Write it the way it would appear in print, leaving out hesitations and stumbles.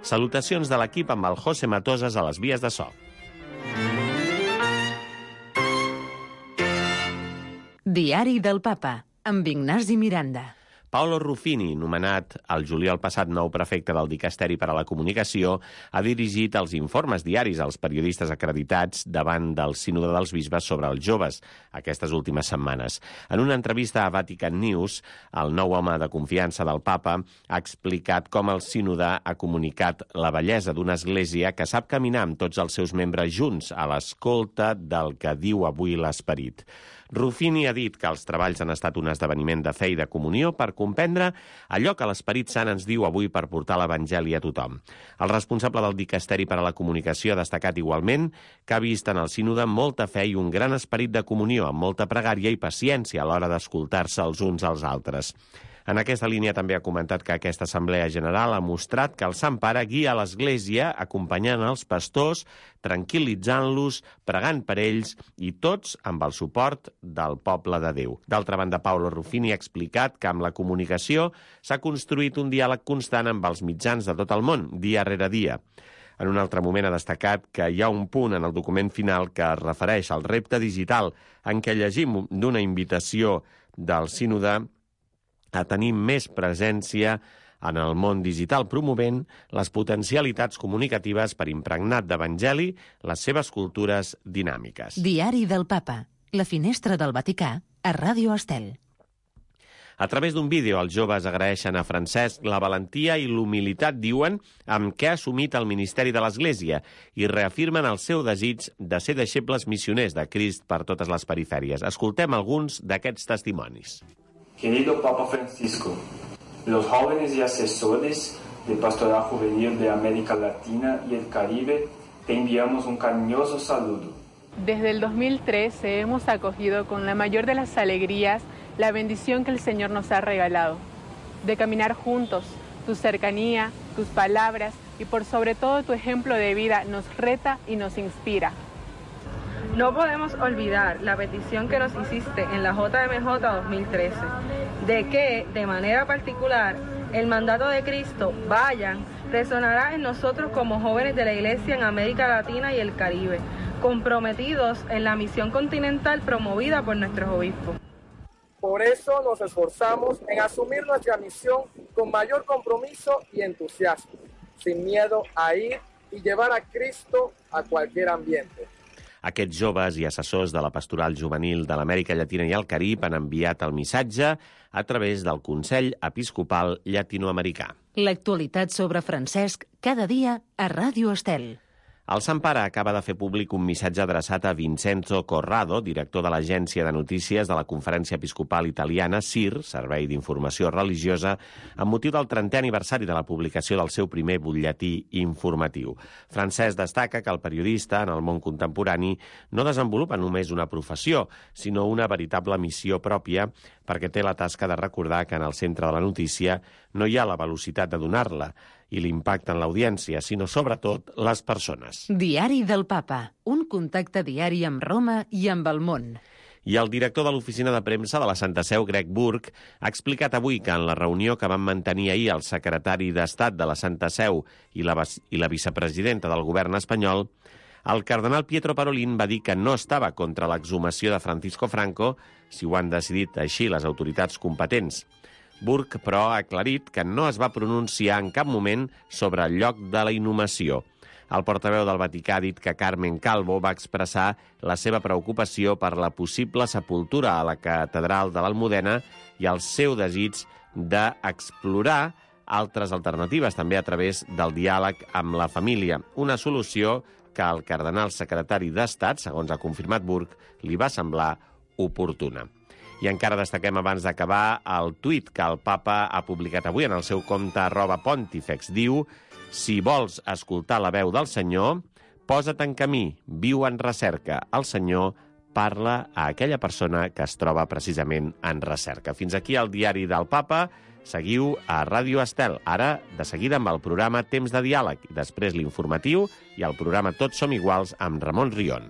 Salutacions de l'equip amb el José Matosas a les vies de so. Diari del Papa, amb Ignasi Miranda. Paolo Ruffini, nomenat el juliol passat nou prefecte del Dicasteri per a la Comunicació, ha dirigit els informes diaris als periodistes acreditats davant del Sínode dels Bisbes sobre els joves aquestes últimes setmanes. En una entrevista a Vatican News, el nou home de confiança del Papa ha explicat com el Sínode ha comunicat la bellesa d'una església que sap caminar amb tots els seus membres junts a l'escolta del que diu avui l'Esperit. Ruffini ha dit que els treballs han estat un esdeveniment de fe i de comunió per comprendre allò que l'Esperit Sant ens diu avui per portar l'Evangeli a tothom. El responsable del Dicasteri per a la Comunicació ha destacat igualment que ha vist en el sínode molta fe i un gran esperit de comunió, amb molta pregària i paciència a l'hora d'escoltar-se els uns als altres. En aquesta línia també ha comentat que aquesta Assemblea General ha mostrat que el Sant Pare guia l'Església acompanyant els pastors, tranquil·litzant-los, pregant per ells i tots amb el suport del poble de Déu. D'altra banda, Paolo Ruffini ha explicat que amb la comunicació s'ha construït un diàleg constant amb els mitjans de tot el món, dia rere dia. En un altre moment ha destacat que hi ha un punt en el document final que es refereix al repte digital en què llegim d'una invitació del sínode a tenir més presència en el món digital, promovent les potencialitats comunicatives per impregnat d'evangeli les seves cultures dinàmiques. Diari del Papa, la finestra del Vaticà, a Ràdio Estel. A través d'un vídeo, els joves agraeixen a Francesc la valentia i l'humilitat, diuen, amb què ha assumit el ministeri de l'Església i reafirmen el seu desig de ser deixebles missioners de Crist per totes les perifèries. Escoltem alguns d'aquests testimonis. Querido Papa Francisco, los jóvenes y asesores de Pastoral Juvenil de América Latina y el Caribe te enviamos un cariñoso saludo. Desde el 2013 hemos acogido con la mayor de las alegrías la bendición que el Señor nos ha regalado, de caminar juntos. Tu cercanía, tus palabras y por sobre todo tu ejemplo de vida nos reta y nos inspira. No podemos olvidar la petición que nos hiciste en la JMJ 2013, de que, de manera particular, el mandato de Cristo, vayan, resonará en nosotros como jóvenes de la Iglesia en América Latina y el Caribe, comprometidos en la misión continental promovida por nuestros obispos. Por eso nos esforzamos en asumir nuestra misión con mayor compromiso y entusiasmo, sin miedo a ir y llevar a Cristo a cualquier ambiente. Aquests joves i assessors de la Pastoral Juvenil de l'Amèrica Llatina i el Carib han enviat el missatge a través del Consell Episcopal Llatinoamericà. L'actualitat sobre Francesc cada dia a Ràdio Estel. El Sant Pare acaba de fer públic un missatge adreçat a Vincenzo Corrado, director de l'Agència de Notícies de la Conferència Episcopal Italiana, CIR, Servei d'Informació Religiosa, amb motiu del 30è aniversari de la publicació del seu primer butlletí informatiu. Francesc destaca que el periodista, en el món contemporani, no desenvolupa només una professió, sinó una veritable missió pròpia, perquè té la tasca de recordar que en el centre de la notícia no hi ha la velocitat de donar-la i l'impacte en l'audiència, sinó sobretot les persones. Diari del Papa, un contacte diari amb Roma i amb el món. I el director de l'oficina de premsa de la Santa Seu, Greg Burke, ha explicat avui que en la reunió que van mantenir ahir el secretari d'Estat de la Santa Seu i la vicepresidenta del govern espanyol, el cardenal Pietro Parolin va dir que no estava contra l'exhumació de Francisco Franco si ho han decidit així les autoritats competents. Burke, però, ha aclarit que no es va pronunciar en cap moment sobre el lloc de la inhumació. El portaveu del Vaticà ha dit que Carmen Calvo va expressar la seva preocupació per la possible sepultura a la catedral de l'Almudena i el seu desig d'explorar altres alternatives, també a través del diàleg amb la família. Una solució que al cardenal secretari d'Estat, segons ha confirmat Burke, li va semblar oportuna. I encara destaquem abans d'acabar el tuit que el papa ha publicat avui en el seu compte @pontifex. Diu: si vols escoltar la veu del Senyor, posa't en camí, viu en recerca. El Senyor parla a aquella persona que es troba precisament en recerca. Fins aquí el diari del papa. Seguiu a Ràdio Estel. Ara, de seguida, amb el programa Temps de Diàleg, i després l'informatiu i el programa Tots som iguals amb Ramon Rion.